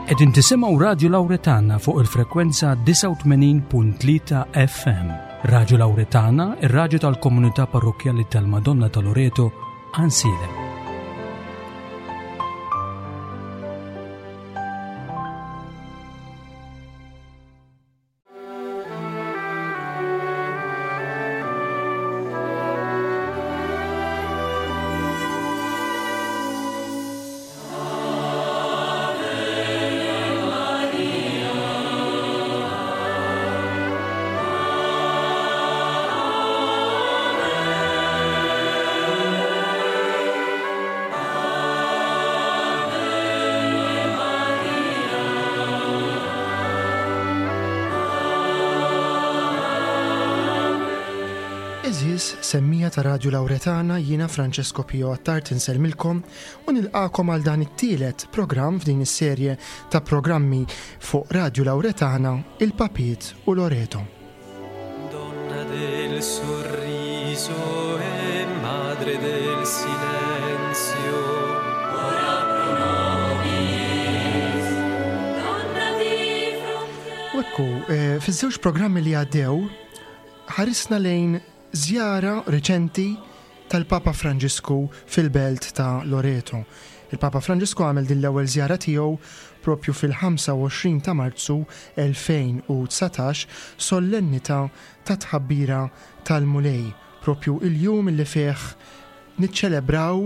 Qegħdin tisimgħu Radju Lawretana fuq il-frekwenza 89.3 FM. Radju Lawretana, ir-radju tal-komunità parrokkjali tal-Madonna ta' Loreto, Ansilem. Għeżież semmija ta' Radju Lawretana jiena Francesco Pio Attard insellmilkom u nilqakom għal dan it-tielet programm f'din is-serje ta' programmi fuq Radju Lawretana, il-Papiet u Loreto. Donna del sorriso e madre del silenzio. Ora pro nobis. Donna di frontiere. U ekku, eh, fiż-żewġ programmi li għaddew, ħarisna lejn żjara riċenti tal-Papa Franġisku fil-belt ta' Loreto. Il-Papa Franġisku għamel din l-ewwel żjara tiegħu propju fil-25 ta' Marzu 2019, sollennità tat-Tħabbira tal-Mulej, propju il-jum li fih niċċelebraw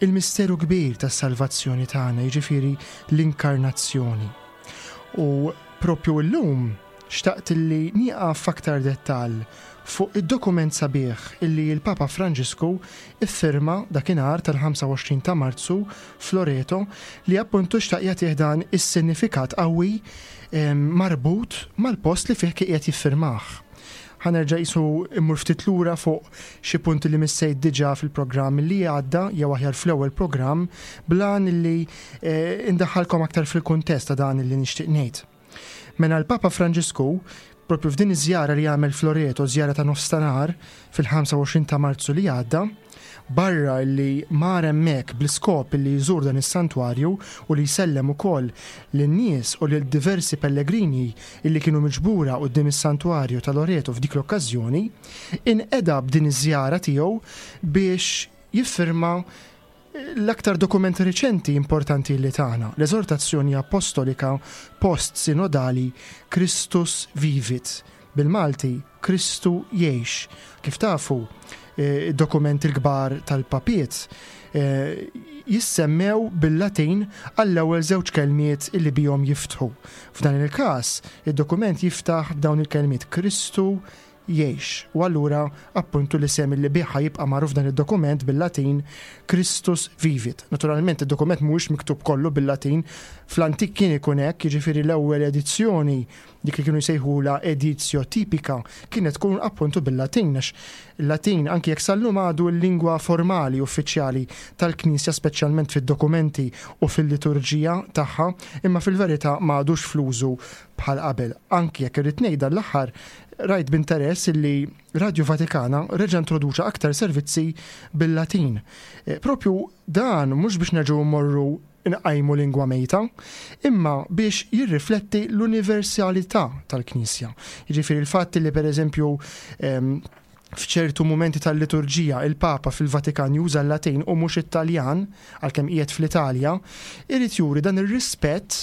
il-misteru kbir tas-salvazzjoni tagħna, jiġifieri l-Inkarnazzjoni. U propju illum xtaqt illi nieqaf f'aktar dettall fuq id-dokument sabiħ illi l-Papa Franġisku iffirma dakinhar tal-25 ta' Marzu f'Loreto li appuntu xtaq jagħtih dan is-sinifikat qawwi marbut mal-post li fih kien qiegħed jiffirmah. Ħa nerġa' qisu immur ftit lura fuq xi punti li missejt diġà fil-programm li għadda jew aħjar fl-ewwel programm bl-għan illi indaħħalkom aktar fil-kuntest ta' dan illi nixtieq ngħid. Mela l-Papa Franġisku, propju f'din iż-żjara li għamel f'Loreto, żjara ta' nofs ta' nhar, fil-25 ta' Marzu li għadda, barra li mar hemmhekk bl-iskop li jżur dan is-santwarju u li jsellem ukoll lin-nies u lil diversi pellegrini illi kienu miġbura quddiem is-santwarju ta' Loreto f'dik l-okkażjoni, inqeda b'din iż-żjara tiegħu biex jiffirma L-aktar dokument riċenti importanti li tana, l-Eżortazzjoni Appostolika Post-Sinodali Christus Vivit, bil-Malti, Kristu Jgħix. Kif tafu, id-dokumenti l-kbar tal-Papiet jissemmew bil-Latin għall-ewwel żewġ kelmiet li bihom jiftħu. F'dan il-każ, id-dokument jiftaħ b'dawn il-kelmiet Kristu jgħix, u allura appuntu l-isem li bih ħa jibqa' magħruf dan id-dokument bil-Latin Christus vivit. Naturalment id-dokument mhuwiex miktub kollu bil-Latin, fl-antik kien ikun hekk, jiġifieri l-ewwel edizzjoni, dik li kienu jsejħulha editio typica, kienet tkun appuntu bil-Latin għax il-Latin anki jekk sal-lum għadu l-lingwa formali uffiċjali tal-Knisja speċjalment fid-dokumenti u fil-liturġija tagħha, imma fil-verità ma għadux fl-użu bħal qabel. Anki jekk irrid ngħid dan l-aħħar Rajt b'interess illi Radju Vatikana reġa' introduċa aktar servizzi bil-Latin. Propju dan mhux biex nerġgħu mmorru nqajmu lingwa mejta, imma biex jirrifletti l-universalità tal-Knisja. Jiġifieri l-fatt li pereżempju f'ċertu mumenti tal-liturġija il-Papa fil-Vatikan juża l-Latin u mhux it-Taljan, għalkemm qiegħed fl-Italja, irid juri dan ir-rispett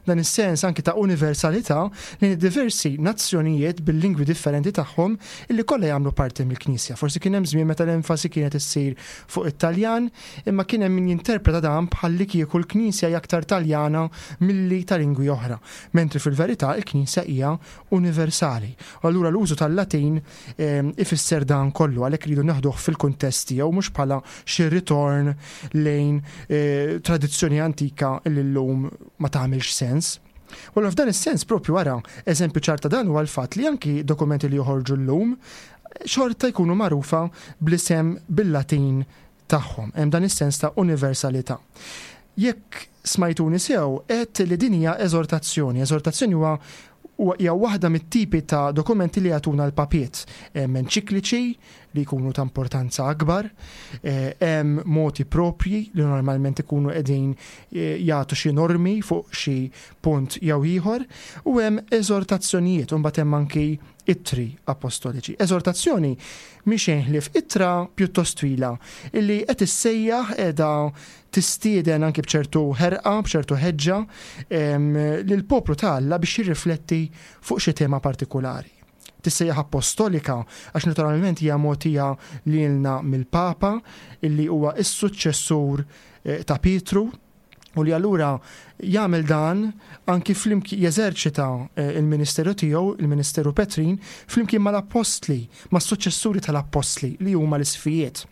Dan is-sens anki ta' universalità lejn id-diversi nazzjonijiet bil-lingwi differenti tagħhom illi kollha jagħmlu parti mill-Knisja. Forsi kien hemm żmien meta l-enfasi kienet issir fuq it-Taljan, imma kien hemm min jinterpreta dan bħallikieku l-Knisja hija aktar Taljana milli ta' lingwi oħra, mentri fil-verità l-Knisja hija universali. U allura l-użu tal-Latin ifisser dan kollu, għalhekk iridu neħduh fil-kuntest tiegħu mhux bħala xi ritorn lejn tradizzjoni antika li llum ma tagħmilx sens. U allura f'dan is-sens propju ara eżempju ċar ta' dan huwa l-fatt li anki dokumenti li joħorġu llum xorta jkunu magħrufa bl-isem bil-Latin tagħhom. Hemm dan is-sens ta' universalità. Jekk smajtuni sew, għedt li din hija eżortazzjoni. Eżortazzjoni huwa Hija waħda mit-tipi ta' dokumenti li jagħtuna l-papiet. Hemm enċikliċi li jkunu ta' importanza akbar, hemm moti propji li normalment ikunu qegħdin jagħtu xi normi fuq xi punt jew ieħor, u hemm eżortazzjonijiet u mbagħad hemm anki ittri appostoliċi. Eżortazzjoni mhi xejn ħlief ittra pjuttost twila illi qed issejjaħ qiegħda tistieden anki b'ċertu ħerqa, b'ċertu ħeġġa lill-poplu ta' Alla biex jirrifletti fuq xi tema partikulari. Tissejjaħ appostolika għax naturalment hija mogħtija lilna mill-Papa illi huwa s-suċċessur eh, ta' Pietru u li allura jagħmel dan anki flimkien jeżerċita eh, il-ministeru tiegħu, il-ministeru Petrin, flimkien mal-appostli, mas-suċċessuri tal-appostli li huma l-isfijiet.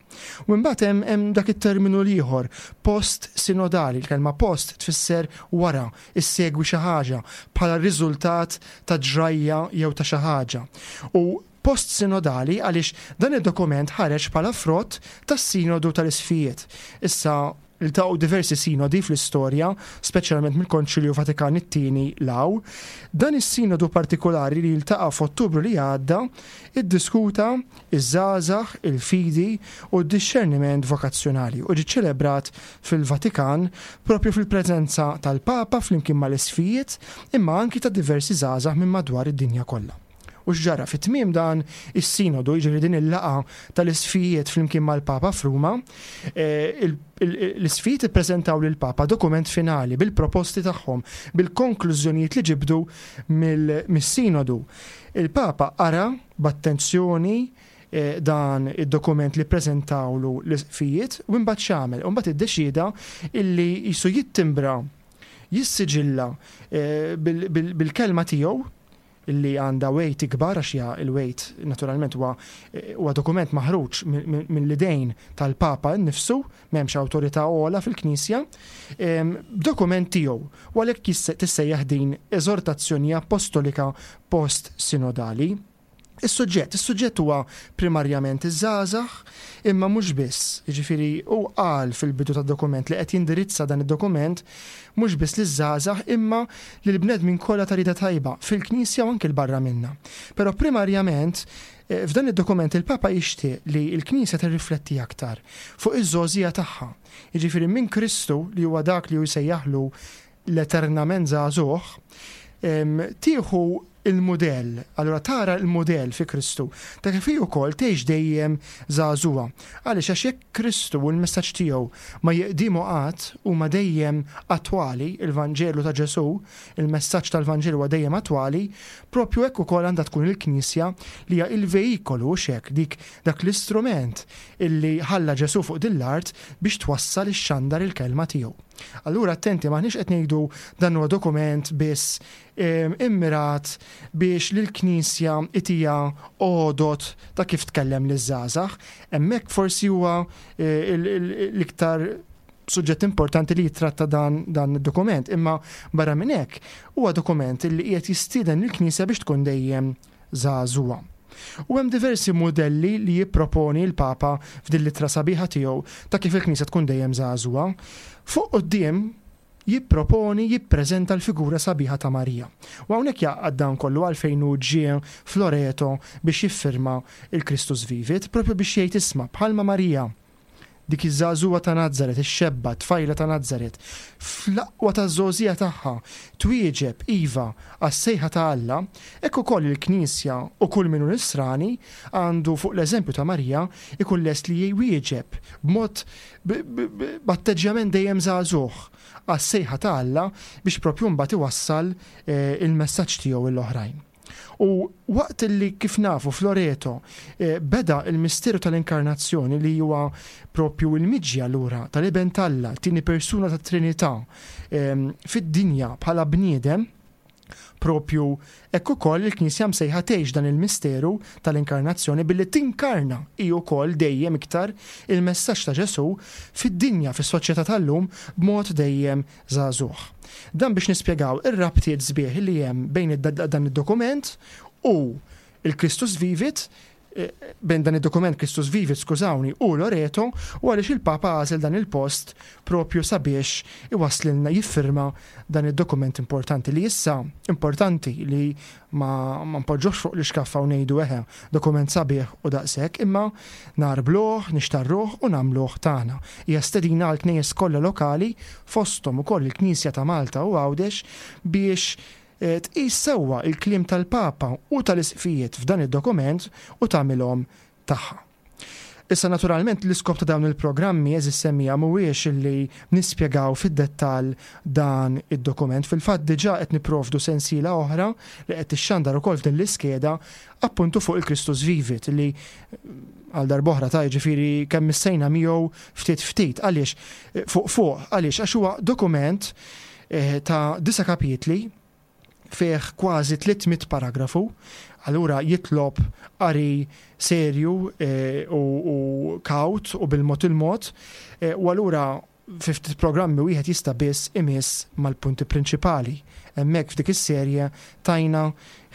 U imbagħad hemm hemm dak it-terminu l-ieħor, post sinodali, il-kelma post tfisser wara, issegwi xi ħaġa bħala riżultat ta' ġrajja jew ta' xi ħaġa. U post sinodali għaliex dan id-dokument ħareġ bħala frott tas-Sinodu tal-Isqfijiet. Issa Iltaqgħu diversi sinodi fl-istorja, speċjalment mill-Konċilju Vatikan it-Tieni 'l hawn. Dan is-sinodu partikulari li ltaqa' f'Ottubru li għadda iddiskuta ż-żgħażagħ, il-fidi u d-dixxerniment vokazzjonali u ġie ċċelebrat fil-Vatikan proprju fil-preżenza tal-Papa flimkien mal-Isqfijiet imma anki ta' diversi żgħażagħ minn madwar id-dinja kollha. U x'ġara? Fi tmiem dan is-sinodu, jiġifieri din il-laqgħa tal-isqfijiet flimkien mal-Papa f'Ruma, l-isqfijiet ippreżentaw lill-Papa dokument finali bil-proposti tagħhom, bil-konklużjonijiet li ġibdu mis-sinodu. Il-Papa qara b'attenzjoni dan id-dokument li ppreżentawlu l-isqfijiet u imbagħad x'għamel? U mbagħad iddeċieda illi qisu jittimbra, jissiġilla bil-kelma tiegħu, li għandha weight ikbar għax hija il-weight naturalment huwa huwa dokument maħruġ mill-idejn tal-Papa nnifsu, m'hemmx awtorità ogħla fil-Knisja, b'dokument tiegħu u għalhekk tissejjaħ din eżortazzjoni appostolika post-sinodali. Is-suġġett, is-suġġett huwa primarjament iż-żgħażagħ, imma mhux biss. Jiġifieri hu qal fil-bidu tad-dokument li qed jindirizza dan id-dokument mhux biss liż-żgħażagħ imma lill-bnedmin kollha ta' rieda tajba, fil-Knisja u anki 'l barra minnha. Però primarjament f'dan id-dokument il-Papa jixtieq li l-Knisja tirrifletti aktar fuq iż-żgħożija tagħha. Jiġifieri minn Kristu li huwa dak li hu jsejjaħlu l-eternament żagħżugħ, tieħu l-mudell, allura tara l-mudell fi Kristu, ta' kif hi wkoll tgħix dejjem żagħżugħa. Għaliex? Għax jekk Kristu u l-messaġġ tiegħu ma jiqdiemu qatt, huma dejjem attwali, il-Vanġelu ta' Ġesù, il-messaġġ tal-Vanġelu huwa dejjem attwali, propju hekk ukoll għandha tkun il-Knisja li hija l-veikolu, hux hekk, dik dak l-istrument illi ħalla Ġesù fuq din l-art biex twassal ixxandar il-kelma tiegħu. Allura attenti m'aħniex qed ngħidu dan huwa dokument biss immirat biex lill-Knisja itiha għodod ta' kif tkellem liż-żgħażagħ. Hemmhekk forsi huwa l-iktar suġġett importanti li jitratta dan, dan id-dokument, imma barra minn hekk huwa dokument li qiegħed jistieden lill-Knisja biex tkun dejjem żagħżugħa. U hemm diversi mudelli li jipproponi l-Papa f'din l-ittra sabiħa tiegħu ta' kif il-Knisja tkun dejjem żagħżugħa. Fuq quddiem jipproponi, jippreżenta l-figura sabiħa ta' Marija. U hawnhekk jgħaqqad dan kollu għalfejn hu ġie f'Loreto biex jiffirma l-Christus Vivit, propju biex jgħid isma' bħalma Marija Dik iż-żagħżugħa ta' Nazaret, ix-xebba, t-tfajla ta' Nazaret, fl-aqwa taż-żgħożija tagħha, twieġeb, iva, għas-sejħa ta' Alla, hekk ukoll il-Knisja u kull min hu Nisrani għandu, fuq l-eżempju ta' Marija, ikun lest li jwieġeb b'mod b'atteġġjament dejjem żagħżugħ għas-sejħa ta' Alla biex proprju mbagħad iwassal il-messaġġ tiegħu lill-oħrajn. U waqt li kif nafu f'Loreto beda l-misteru tal-Inkarnazzjoni li huwa propju l-miġja lura tal-Iben t'Alla, t-tieni persuna tat-Trinità, fid-dinja bħala bniedem, propju hekk ukoll il-Knisja msejħa tgħix dan il-misteru tal-Inkarnazzjoni billi tinkarna hi wkoll dejjem iktar il-messaġġ ta' Ġesù fid-dinja, fis-soċjetà tal-lum b'mod dejjem żagħżugħ. Dan biex nispjegaw ir-rabtiet sbieħ li hemm bejn dan id-dokument u l-Christus Vivit. bejn dan id-dokument Christus Vivit, skużawni, u Loreto u għaliex il-Papa għażel dan il-post propju sabiex iwasslilna jiffirma dan id-dokument importanti li issa importanti li ma, ma npoġġuhx fuq l-iskaffa u ngħidu eħe dokument sabiħ u daqshekk, imma narbluh, nixtarruh u nagħmluh tagħna. Hija stedina għal knejjes kollha lokali fosthom ukoll il-Knisja ta' Malta u Għawdex biex tqis sewwa l-kliem tal-Papa u tal-Isqfijiet f'dan id-dokument u tagħmilhom tagħha. Issa naturalment l-iskop ta' dawn il-programmi għeżież semmiegħa mhuwiex illi nispjegaw fid-dettall dan id-dokument. Fil-fatt diġà qed nipprovdu sensiela oħra li qed tixxandar ukoll f'din l-iskeda appuntu fuq il-Christus Vivit li għal darb'oħra ta' jiġifieri kemm missejna miegħu ftit ftit. Għaliex? Fuq fuq. Għaliex? Għax huwa dokument ta' disa' kapitli fih kważi 300 paragrafu, allura jitlob qari serju u kawt u bil-mod il-mod, u allura fi ftit programmi wieħed jista' biss imiss mal-punti prinċipali. Hemmhekk f'dik is-serje tajna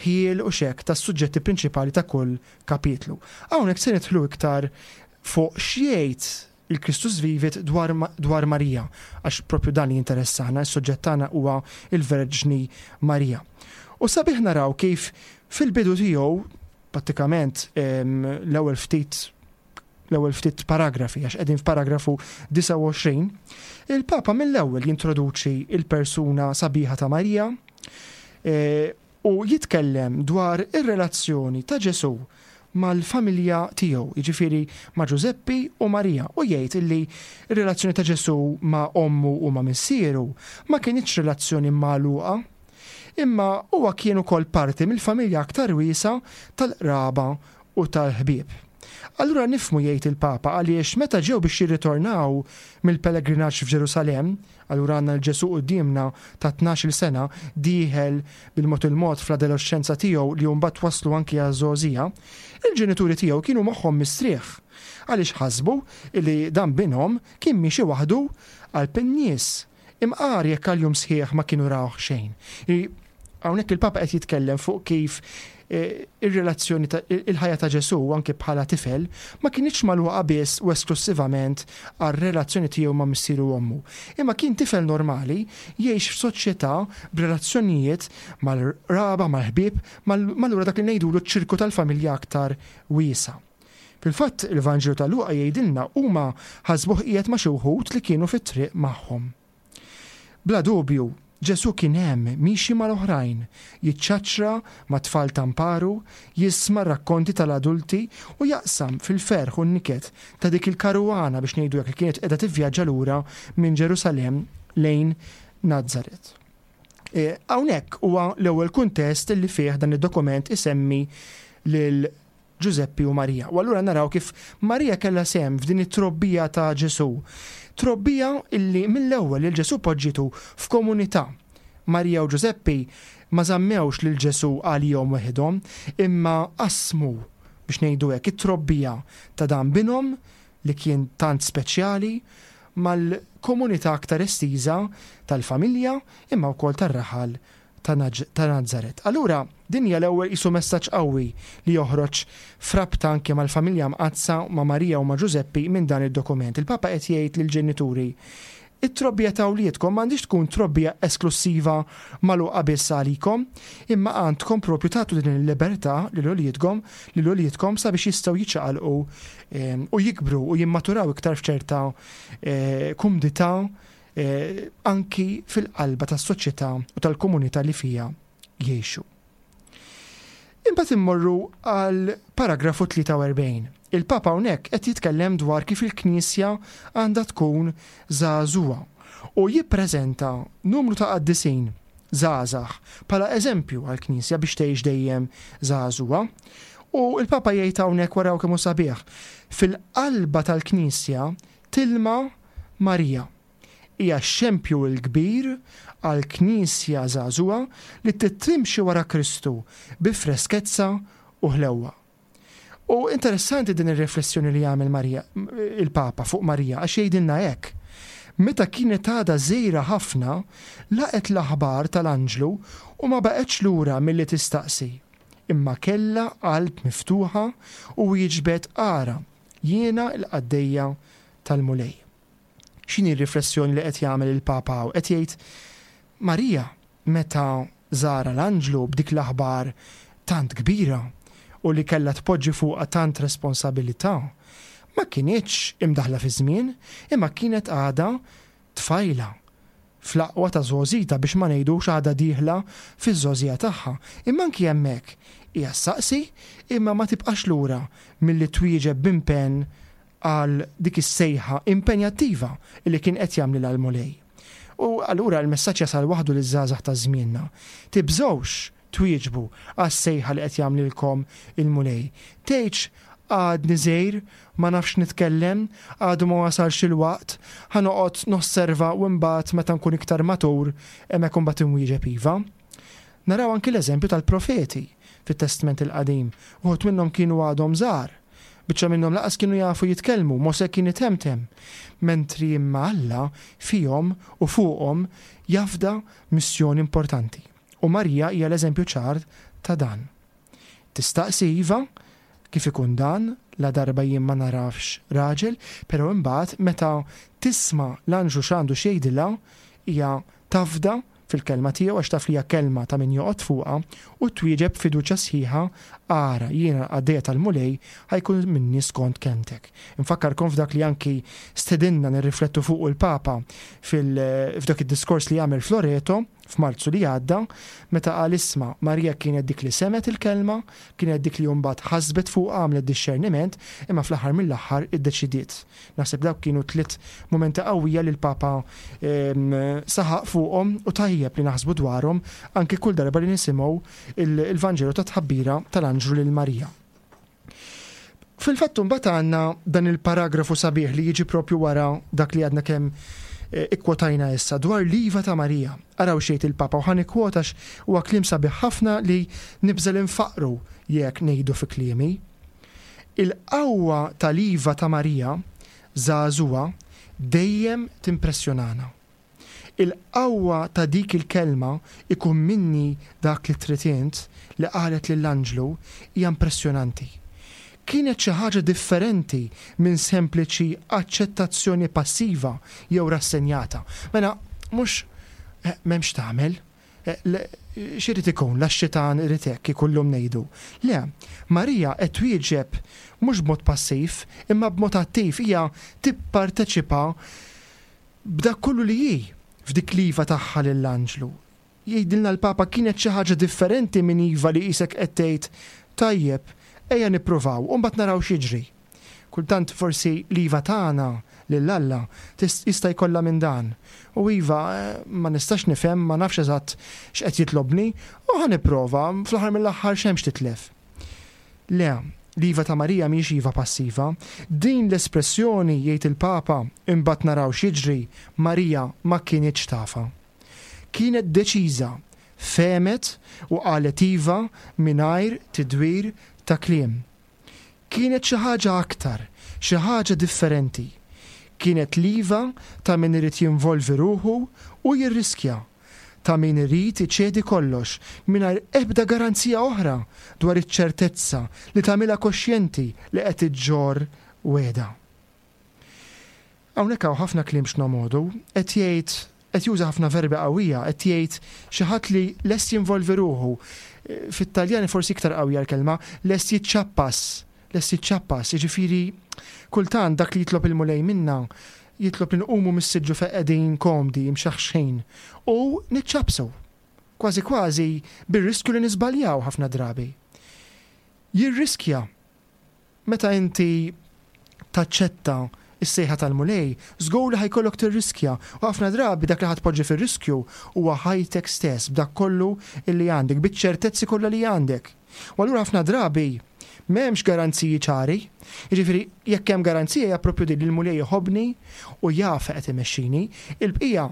ħjiel u xekk tas-suġġetti prinċipali ta' kull kapitlu. Hawnhekk se nidħlu iktar fuq x'jgħid il-Christus Vivit dwar, dwar Marija, għax propju dan li jinteressana, is-suġġett tagħna huwa il-Verġni Marija. U sabiħ naraw kif fil-bidu tiegħu, prattikament l-ewwel ftit l-ewwel ftit paragrafi, għax qegħdin f'paragrafu 29, il-Papa mill-ewwel jintroduċi il-persuna sabiħa ta' Marija e, u jitkellem dwar ir-relazzjoni ta' Ġesù mal-familja tiegħu, jiġifieri ma' Ġużeppi u Marija, u jgħid illi r-relazzjoni ta' Ġesù ma' ommu u ma' missieru ma kinitx relazzjoni magħluqa, imma huwa kien ukoll parti mill-familja aktar wiesgħa tal-qraba u tal-ħbieb. Allura nifhmu jgħid il-Papa għaliex meta ġew biex jirritornaw mill-pellegrinaġġ f'Ġerusalemm, Allura għandna 'l Ġesù quddiemna ta' tnax-il sena, dieħel bil-mod il-mod fl-adoloxxenza tiegħu li mbagħad twasslu anki għaż-żgħożija. Il-ġenituri tiegħu kienu moħħhom mistrieħ għaliex ħasbu li dan binhom kien miexi waħdu qalb in-nies, imqar jekk għal jum sħiħ ma kienu rawh xejn. Hawnhekk il-Papa qed jitkellem fuq kif ir-relazzjoni ta' il-ħajja ta' Ġesù anki bħala tifel ma kinitx magħluqa biss u esklussivament għar-relazzjoni tiegħu ma' missieru u ommu, imma kien tifel normali jgħix f'soċjetà b'relazzjonijiet mal-qraba, mal-ħbieb, mal-allura dak li ngħidulu ċ-ċirku tal-familja aktar wiesa'. Fil-fatt, il-Vanġelu ta' Luqa jgħidilna huma ħasbuh qiegħed ma' xi wħud li kienu fit-triq magħhom. Bla dubju, Ġesù kien hemm miexi mal-oħrajn, jiċċaċċra mat-tfal ta' mparu, jisma' r-rakkonti tal-adulti u jaqsam fil-ferħ u n-niket ta' dik il-karuwana biex ngħidu hekk li kienet qiegħda tivvjaġġa lura minn Ġerusalemm lejn Nazaret. Hawnhekk huwa l-ewwel kuntest li fih dan id-dokument isemmi lil Ġużeppi u Marija. U allura naraw kif Marija kellha sehem f'din it-trobbija ta' Ġesù. Trobbija illi mill-ewwel lil Ġesù poġġietu f'komunità. Marija u Ġużeppi ma żammewx lil Ġesù għalihom weħidhom, imma qasmu, biex ngħidu hekk, it-trobbija ta' dan binhom li kien tant speċjali mal-komunità aktar estiża tal-familja imma wkoll tar-raħal ta' Nazaret. Allura, din hija l-ewwel qisu messaġġ qawwi li joħroġ f'rabta anke mal-familja mqaddsa, ma' Marija u ma' Ġużeppi minn dan id-dokument. Il-Papa qed jgħid lill-ġenituri, It-trobbija ta' wliedkom m'għandhiex tkun trobbija esklussiva magħluqa biss għalikom, imma għandkom propju tagħtu din il-libertà lil uliedkom lil uliedkom sabiex jistgħu jiċċaqalqu u jikbru u jimmaturaw iktar f'ċerta kumdità anki fil-qalba tas-soċjetà u tal-komunità li fiha jgħixu. Imbagħad immorru għal paragrafu 43. Il-Papa hawnhekk qed jitkellem dwar kif il-Knisja għandha tkun żagħżugħa u jippreżenta numru ta' qaddisin żgħażagħ bħala eżempju għall-Knisja biex tgħix dejjem żagħżugħa. U l-Papa jgħid hawnhekk waraw kemm hu sabiħ, fil-qalba tal-Knisja tilma Marija. Hija x-xempju l-kbir għal Knisja żagħżugħa li trid timxi wara Kristu bi freskezza u ħlewwa. U interessanti din ir-riflessjoni li jagħmel Marija, il-Papa fuq Marija għax jgħidilna hekk, Meta kienet għadha żgħira ħafna, laqgħet l-aħbar tal-anġlu u ma baqgħetx lura milli tistaqsi. Imma kellha qalb miftuħa u wieġbet ara, jiena l-qaddejja tal-Mulej. X'inhi r-riflessjoni li qed jagħmel il-Papa hawn? Qed jgħid Marija meta żarha l-anġlu b'dik l-aħbar tant kbira u li kellha tpoġġi fuqha tant responsabilità, ma kinitx imdaħħla fiż-żmien imma kienet għadha tfajla fl-aqwa ta' żgħożitha biex ma ngħidux għadha dieħla fiż-żgħożija tagħha. Imma anki hemmhekk hija ssaqsi imma ma tibqax lura milli twieġeb b'impenn għal dik is-sejħa impenjattiva li kien qed jagħmlilha l-Mulej. U allura l-messaġġ jasal waħdu liż-żgħażagħ ta' żmienna. Tibżgħux twieġbu għas-sejħa li qed jagħmlilkom il-Mulej. Tgħidx għadni żgħir, ma nafx nitkellem, għadu ma wasalx il-waqt, ħa noqgħod nosserva u imbagħad meta nkun iktar matur hemmhekk imbagħad inwieġeb iva. Naraw anki l-eżempju tal-profeti fit-Testment il-Qadim. Uħud minnhom kienu għadhom żgħar. Biċċa minnhom lanqas kienu jafu jitkellmu, Mosè kien itemtem. Mentri imma Alla fihom u fuqhom jafda missjoni importanti. U Marija hija l-eżempju ċar ta' dan. Tistaqsi iva, kif ikun dan, ladarba jien ma nagħrafx raġel, però imbagħad meta tisma' l-anġlu x'għandu x'jgħidilha, hija tafda fil-kelma tiegħu għax taf li hija kelma ta' min joqgħod fuqha u twieġeb b'fiduċja sħiħa, Ara, jiena l-qaddejja tal-Mulej, ħa jkun minni skont kelmtek. Infakkarkom f'dak li anki stedinna nirriflettu fuqu l-Papa f'dak id-diskors li għamel f'Loreto, f'Marzu li għadda, meta qal isma' Marija kienet dik li semgħet il-kelma, kienet dik li mbagħad ħasbet fuqha, għamlet dixxerniment, imma fl-aħħar mill-aħħar iddeċidiet. Naħseb dawk kienu tliet mumenti qawwija li l-Papa saħaq fuqhom u tajjeb li naħsbu dwarhom anki kull darba li nisimgħu il-Vanġelu tat-tħabbira tal-anġlu lil Marija. Fil-fatt imbagħad għandna dan il-paragrafu sabiħ li jiġi propju wara dak li għadna kemm eh, ikkwotajna issa dwar l-iva ta' Marija. Araw xejt il-Papa u ħan ikkwotax huwa kliem sabiħ ħafna li nibżel infaqru jekk ngħidu fi kliemi. Il-qawwa tal-iva ta' Marija żagħżugħa dejjem timpressjonana. Il-qawwa ta' dik il-kelma ikun minni dak li trid int li qalet lill-anġlu hija impressjonanti. Kienet xi ħaġa differenti minn sempliċi aċċettazzjoni passiva jew rassenjata. Mela, mhux m'hemm x'tagħmel, x'irid ikun, la x-xitan irid hekk, kieku llum ngħidu. Le, Marija qed twieġeb mhux b'mod passiv, imma b'mod attiv, hija tipparteċipa b'dak kollu li hi f'dik l-iva tagħha lill-anġlu. Jgħidilna l-Papa kienet xi ħaġa differenti minn iva li qisek qed tgħid, tajjeb, ejja nippruvaw u mbagħad naraw x'jiġri. Kultant forsi l-iva tagħna lil Alla jista' jkollha minn dan. U iva, ma nistax nifhem, ma nafx eżatt x'qed jitlobni, u ħa nipprova, fl-aħħar mill-aħħar x'hemm x'titlef. Le, l-iva ta' Marija mhijiex iva passiva. Din l-espressjoni, jgħid il-Papa, imbagħad naraw x'jiġri, Marija ma kinitx tafha. Kienet deċiża, fehmet u qalet iva mingħajr tidwir ta' kliem. Kienet xi ħaġa aktar, xi ħaġa differenti. Kienet l-iva ta' min irid jinvolvi ruħu u jirriskja, ta' min irid iċedi kollox mingħajr ebda garanzija oħra dwar iċ-ċertezza li tagħmilha koxjenti li qed iġġorr wegħda. Hawnhekk hawn ħafna kliem x'nomogħdu, qed jgħid, qed juża ħafna verbi qawwija, qed jgħid xi ħadd li lest jinvolvi ruħu, fit-Taljan forsi iktar qawwija l-kelma, lest jiċċappas, lest jiċċappas, jiġifieri kultant dak li jitlob il-Mulej minna, jitlob li nqumu mis-siġġu fejn qegħdin komdi, imxaħxħin, u niċċappsu, kważi kważi bir-riskju li niżbaljaw ħafna drabi. Jirriskja Meta inti taċċetta s-sejħa tal-Mulej, żgur li ħa jkollok tirriskja, u ħafna drabi dak li ħa tpoġġi fir-riskju huwa ħajtek stess b'dak kollu li għandek, biċ-ċertezzi kollha li għandek. U allura ħafna drabi m'hemmx garanziji ċari. Jiġifieri jekk hemm garanzija hija proprju din li l-Mulej iħobbni u jaf fejn qed imexxini. Il-bqija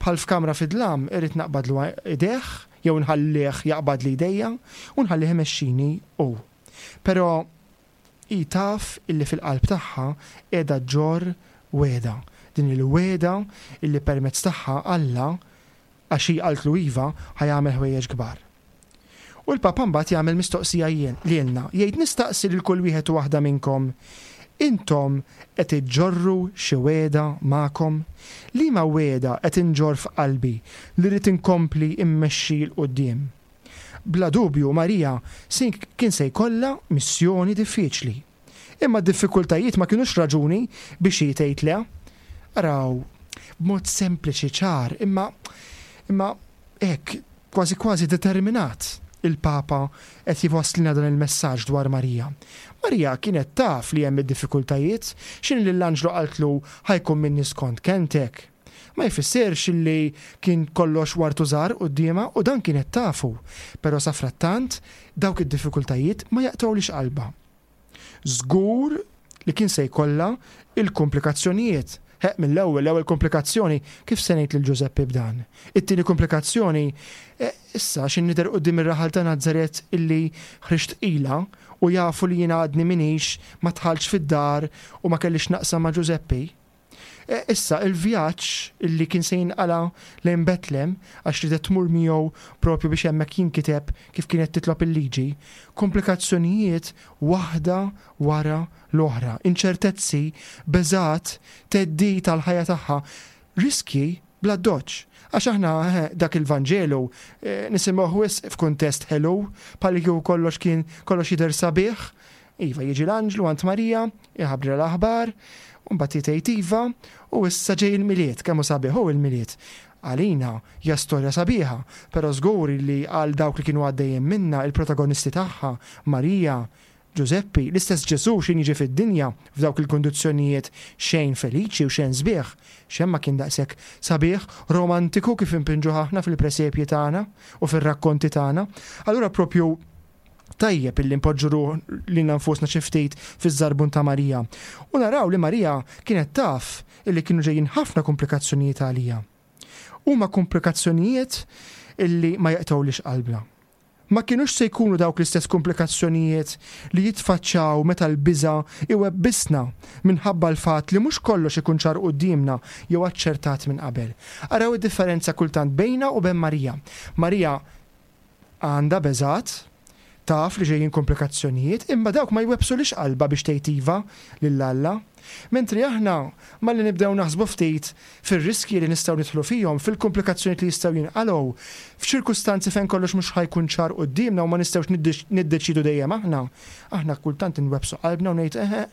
bħal f'kamra fid-dlam irrid naqbadlu idejh jew nħallih jaqbadli jdejja u nħallih imexxini hu. Però hi taf illi fil-qalb tagħha qiegħda ġġorr wegħda, din il-wegħda illi permezz tagħha Alla, għax hi qaltlu iva, ħa jagħmel ħwejjeġ kbar. U l-Papa mbagħad jagħmel mistoqsija lilna, jgħid nistaqsi lil kull wieħed u waħda minnkom, intom qed iġġorru xi wegħda magħkom? Liema wegħda qed inġorr f'qalbi li rrid inkompli mmexxi 'l quddiem? Bla dubju Marija kien se jkollha missjoni diffiċli. Imma d-diffikultajiet ma kinux raġuni biex hi tgħid le. Araw, b'mod sempliċi, ċar, imma imma hekk kważi kważi determinat il-Papa qed jwasslilna dan il-messaġġ dwar Marija. Marija kienet taf li hemm id-diffikultajiet, x'inhi lill-anġlu qaltlu ħa jkun minni skont kelmtek. Ma jfissirx li kien kollox ward u żahar quddiemha u dan kienet tafu, però safrattant dawk id-diffikultajiet ma jaqtgħulhiex qalbha. Żgur li kien se jkollha l-kumplikazzjonijiet. Ħeqq mill-ewwel, l-ewwel kumplikazzjoni, kif se ngħid lil Ġużeppi b'dan? It-tieni kumplikazzjoni, issa x'in nidher quddiem ir-raħal ta' Nazaret illi ħriġt tqila u jafu li jiena għadni m'iniex ma dħaltx fid-dar u ma kellix x'naqsam ma' Ġużeppi. Issa, il-vjaġġ li kien se jinqala' lejn Betlem, għax riedet tmur miegħu proprju biex hemmhekk jinkiteb kif kienet titlob il-Liġi, komplikazzjonijiet waħda wara l-oħra, inċertezzi, beżgħat, theddid għall-ħajja tagħha, riskji bl-addoċċ. Għax aħna dak il-Vanġelu nisimgħuh wisq f'kuntest ħelu, bħallikieku kollox kien kollox jidher sabiħ, Iva, jiġi l-anġlu għand Marija, iħabbrilha l-aħbar, u mbagħad hi tgħid iva, u issa ġej il-Milied, kemm hu sabiħ hu il-Milied. Għalina hija storja sabiħa, però żgur li għal dawk li kienu għaddejjin minnha, il-protagonisti tagħha, Marija, Ġużeppi, l-istess Ġesù x'ħin jiġi fid-dinja f'dawk il-kundizzjonijiet xejn feliċi u xejn sbieħ, xejn ma kien daqshekk sabiħ, romantiku kif inpinġuh aħna fil-presepji tagħna u fir-rakkonti tagħna. Allura propju Tajjeb illi npoġġu ruħ lilna nfusna xi ftit fiż-żarbun ta' Marija u naraw li Marija kienet taf illi kienu ġejjin ħafna kumplikazzjonijiet għaliha. Huma kumplikazzjonijiet illi ma jaqtgħulix qalbna. Ma kinux se jkunu dawk l-istess kumplikazzjonijiet li jitfaċċaw meta l-biża' iwebbisna minħabba l-fatt li mhux kollox ikun ċar quddiemna jew aċċertat minn qabel. Araw id-differenza kultant bejna u ben Marija. Marija Għandha beżgħat, taf li ġejjin komplikazzjonijiet, imma dawk ma jwebbsulhiex qalbha biex tgħid iva lil Alla. Mentri aħna, malli nibdew naħsbu ftit fir-riskji li nistgħu nidħlu fihom, fil-komplikazzjonijiet li jistgħu jinqalgħu, f'ċirkustanzi fejn kollox mhux ħa jkun ċar quddiemna u ma nistgħux niddeċiedu dejjem aħna, aħna kultant inwebbsu qalbna u ngħid eħe,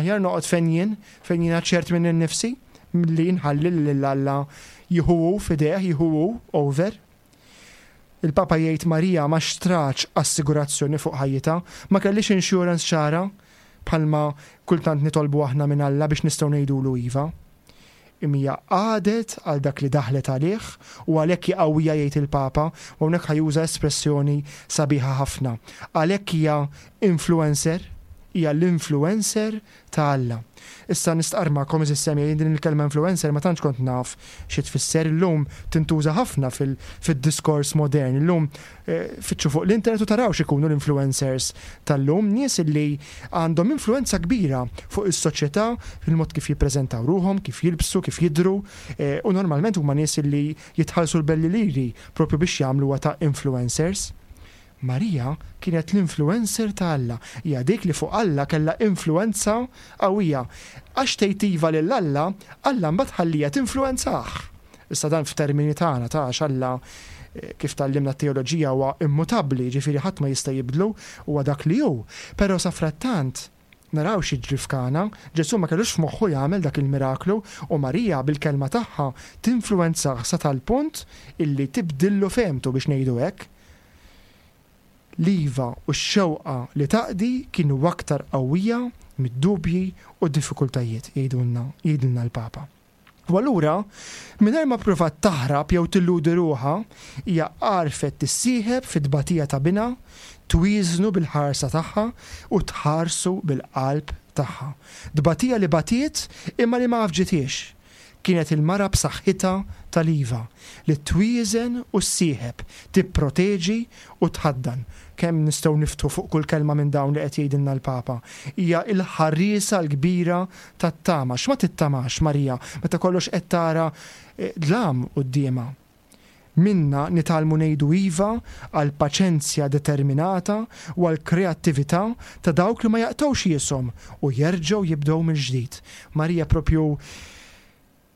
aħjar noqgħod fejn jien, fejn jiena ċert minni nnifsi, milli nħalli lil Alla jieħu hu f'idejh, jieħu hu over. Il-Papa jgħid Marija ma xtratx assigurazzjoni fuq ħajjitha, ma kellhiex insurance ċara, bħalma kultant nitolbu aħna minn Alla biex nistgħu ngħidulu iva. Imma hija qagħdet għal dak li daħlet għalih u għalhekk hi qawwija jgħid il-Papa, u hawnhekk ħa juża espressjoni sabiħa ħafna. Għalhekk hija influencer, hija l-influencer ta' Alla. Issa nistqarr magħkom għeżież semgħin din il-kelma influencer ma tantx kont naf xi tfisser. Illum tintuża ħafna fid-diskors modern. Illum fittxu fuq l-internet u taraw x'ikunu l-influencers tal-lum, nies illi għandhom influenza kbira fuq is-soċjetà fil-mod kif jippreżentaw ruħhom, kif jilbsu, kif jidhru u normalment huma nies illi jitħallsu l-belli liri propju biex jagħmluha ta' influencers. Marija kienet l-influencer ta' Alla. Hija dik li fuq Alla kellha influenza qawwija. Għax tgħid iva lil Alla, Alla mbagħad ħalliha tinfluwenzah. Issa dan f'termini tagħna ta' għax Alla kif tgħallimna t-teoloġija huwa immutabbli, jiġifieri ħadd ma jista' jibdlu, huwa dak li hu. Però safrattant naraw x'jiġri f'Kana, Ġesù ma kellux f'moħħu jagħmel dak il-miraklu u Marija bil-kelma tagħha tinfluwenzah sa tal-punt illi tibdillu fehmtu biex ngħidu hekk. L-iva u x-xewqa li taqdi kienu aktar qawwija mid-dubji u d-diffikultajiet, jgħidulna, jgħidilna l-Papa. U allura, mingħajr ma ppruvat taħrab jew tilludi ruħha, hija għarfet tissieħeb fit-tbatija ta' binha, twieżnu bil-ħarsa tagħha u tħarsu bil-qalb tagħha. Tbatija li batiet imma li ma għafġithiex. Kienet il-mara b'saħħitha tal-iva, li twieżen u ssieħeb, tipproteġi u tħaddan. Kemm nistgħu niftħu fuq kull kelma minn dawn li qed jgħidilna l-Papa. Hija l-ħarriesa l-kbira tat-tama. X'ma tittamax Marija meta kollox qed tara dlam quddiemha? Minnha nitgħallmu ngħidu iva għall-paċenzja determinata u għall-kreattività ta' dawk li ma jaqtgħux jieshom u jerġgħu jibdew mill-ġdid. Marija propju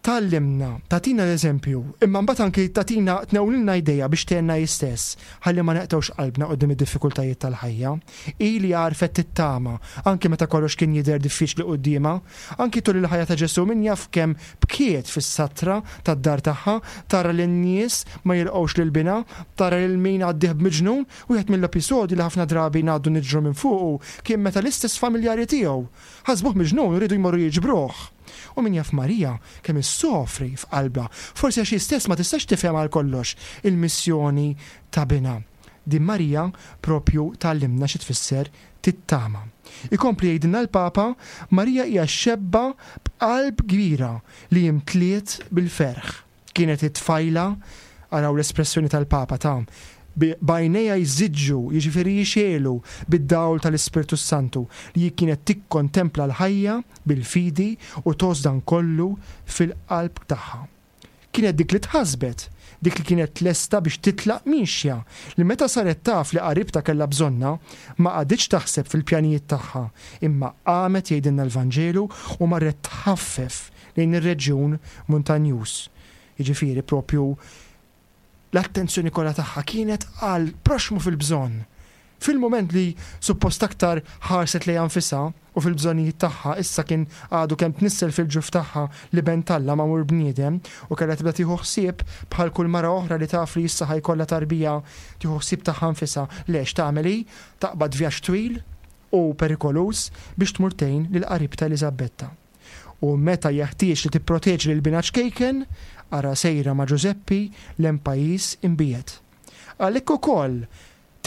tgħallimna, tagħtina l-eżempju, imma mbagħad anki tagħtina tnewlilna jdejha biex tgħinna hi stess ħalli ma neqtgħux qalbna quddiem id-diffikultajiet tal-ħajja. Hi li għarfet tittama anki meta kollox kien jidher diffiċli quddiemha. Anki tul il-ħajja ta' Ġesù min jaf kemm bkiet fis-satra tad-dar tagħha, tara lin-nies ma jilqgħux lil binha, tara lil min għaddieh b'miġnun. Wieħed mill-episodji li ħafna drabi ngħaddu niġru minn fuqu kien meta l-istess familjari tiegħu ħasbuh miġnun u riedu jmorru jiġbruh. U min jaf Marija kemm issofri f'qalbha, forsi għax hi stess ma tistax tifhem għal kollox il-missjoni ta' binha. Din Marija propju tgħallimna xi tfisser tittama. Ikompli jgħidilna l-Papa, Marija hija xebba b'qalb kbira li imtliet bil-ferħ. Kienet it-tfajla, araw l-espressjoni tal-Papa ta', b'għajnejha jżiġġu, jiġifieri jixegħlu, bid-dawl tal-Ispirtu s-Santu, li hi kienet tikkontempla l-ħajja bil-fidi u tgħożż dan kollu fil-qalb tagħha. Kienet dik li tħassbet, dik li kienet lesta biex titlaq miexja, li meta saret taf li qaribtha kellha bżonnha, ma qagħditx taħseb fil-pjanijiet tagħha, imma qamet jgħidilna l-Vanġelu u marret tħaffef lejn ir-reġjun muntanjuż. Jiġifieri propju l-attenzjoni kollha tagħha kienet għal proxxmu fil-bżonn. Fil-mument li suppost aktar ħarset lejha nfisha u fil-bżonnijiet tagħha, issa kien għadu kemm tnissel fil-ġuf tagħha l-Iben t'Alla magħmul bniedem u kellha tibda tieħu ħsieb bħal kull mara oħra li taf li issa ħa jkollha tarbija tieħu ħsieb tagħha nfisha. Le, x'tagħmel hi? Taqbad vjaġġ twil u perikoluż biex tmur tgħin lil qaribtha Eliżabbetta. U meta jeħtieġ li tipproteġi lil binha ċkejken, ara sejra ma' Ġużeppi 'l hemm pajjiż imbiegħed. Għalhekk ukoll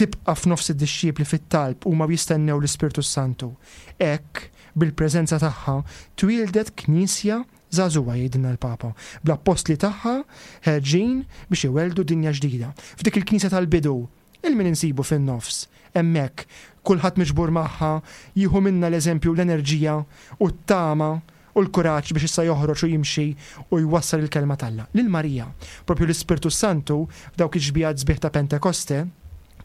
tibqa' f'nofs id-dixxipli fit-talb huma u jistennew l-Ispirtu s-Santu. Hekk, bil-preżenza tagħha, twieldet Knisja żagħżugħa, jgħidilna l-Papa, bl-appostli tagħha ħerġin biex iwelldu dinja ġdida. F'dik il-Knisja tal-bidu, 'Il min insibu fin-nofs, hemmhekk, kulħadd miġbur magħha, jieħu minnha l-eżempju u l-enerġija u t-tama u l-kuraġġ biex issa joħroġ u jimxi u jwassal il-Kelma t'Alla. Lil Marija, propju l-Ispirtu s-Santu, f'dawk ix-xbiehat sbieħ ta' Pentekoste,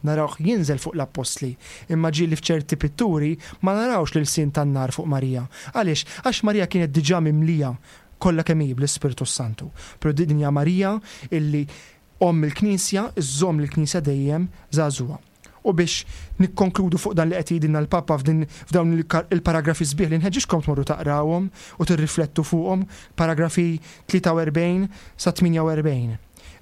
narawh jinżel fuq l-appostli, imma ġieli f'ċerti pitturi ma narawx l-ilsien tan-nar fuq Marija. Għaliex? Għax Marija kienet diġà mimlija kollha kemm hi bl-Ispirtu s-Santu. Però din hija Marija illi Omm il-Knisja żżomm lill-Knisja dejjem żagħżugħa. U biex nikkonkludu fuq dan li qed jgħidilna l-Papa f'din f'dawn il-paragrafi sbieħ li nħeġġiġkom tmorru taqrawhom u tirriflettu fuqhom, paragrafi 43 sa 48.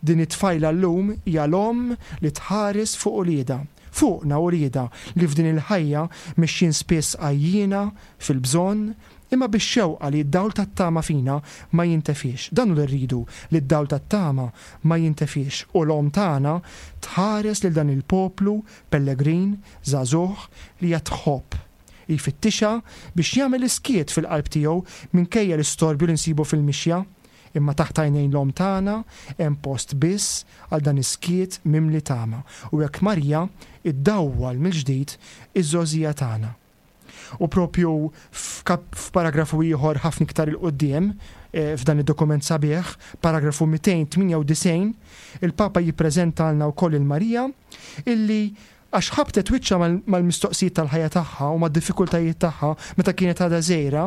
Din it-tfajla llum hija l-omm li tħares fuq uliedha, fuqna uliedha li f'din il-ħajja mexjin spiss għajjiena, fil-bżonn, imma bix-xewqa li d-dawl tat-tama fina ma jintefiex. Dan hu li rridu, li d-dawl tat-tama ma jintefiex u l-Omm tagħna tħares lil dan il-poplu pellegrin, żagħżugħ, li hija tħobb. Hi jfittixha biex jagħmel is-skiet fil-qalb tiegħu minkejja l-istorbju li nsibu fil-mixja. Imma taħt għajnejn l-Omm tagħna hemm post biss għal dan is-skiet mimli tama u hekk Marija ddawwal mill-ġdid iż-żgħożija tagħna. U propju f'paragrafu ieħor ħafna iktar 'il quddiem, f'dan id-dokument sabiħ, paragrafu 298, il-Papa jippreżentalna wkoll lil Marija illi għax ħabtet wiċċha mal-mistoqsijiet tal-ħajja tagħha u mad-diffikultajiet tagħha meta kienet għadha żgħira,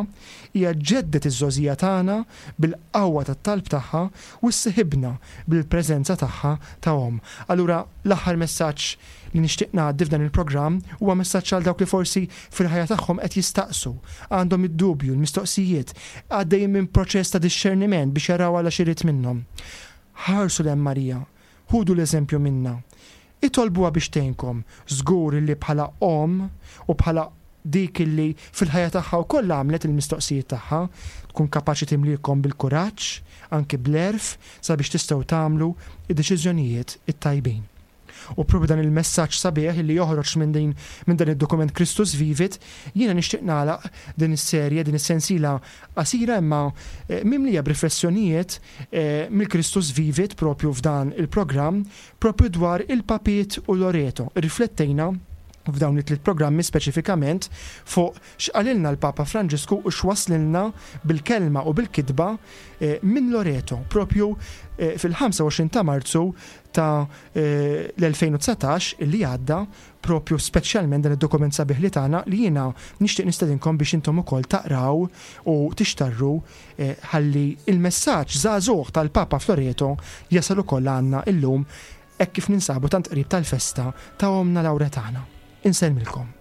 hija ġeddet iż-żgħożija tagħna bil-qawwa tat-talb tagħha u sseħibna bil-preżenza tagħha ta' omm. Allura l-aħħar messaġġ li nixtieq ngħaddi f'dan il-programm huwa messaġġ għal dawk li forsi fil-ħajja tagħhom qed jistaqsu, għandhom id-dubju, l-mistoqsijiet, għaddejjin minn proċess ta' dixxerniment biex jaraw Alla x'irid minnhom. Ħarsu 'l hemm Marija, ħudu l-eżempju minnha. Itolbuha biex tgħinkom, żgur li bħala omm u bħala dik illi fil-ħajja tagħha wkoll għamlet il-mistoqsijiet tagħha, tkun kapaċi timliekom bil-kuraġġ, anki bl-għerf sabiex tistgħu tagħmlu d-deċiżjonijiet it-tajbin. U propju dan il-messaġġ sabiħ li joħroġ minn din minn dan id-dokument Christus Vivit, jiena nixtieq nagħlaq din is-serje, din is-sensiela qasira imma eh, mimlija b'riflessjonijiet eh, mill-Christus Vivit propju f'dan il-programm propju dwar il-Papiet u Loreto. Riflettejna f'dawn it-tliet programmi speċifikament fuq x'qalilna l-Papa Franġisku u x'waslilna bil-kelma u bil-kitba eh, minn Loreto, propju eh, fil-25 ta' Marzu ta' eh, l-2019 illi għadda propju speċjalment dan id-dokument sabiħ li tagħna li jiena nixtieq nistedinkom biex intom ukoll taqraw u tixtarru ħalli il-messaġġ żagħżugħ tal-Papa f'Loreto jasal ukoll għandna illum hekk kif ninsabu tant qrib tal-festa ta' Ommna Lawretana. Insellmilkom.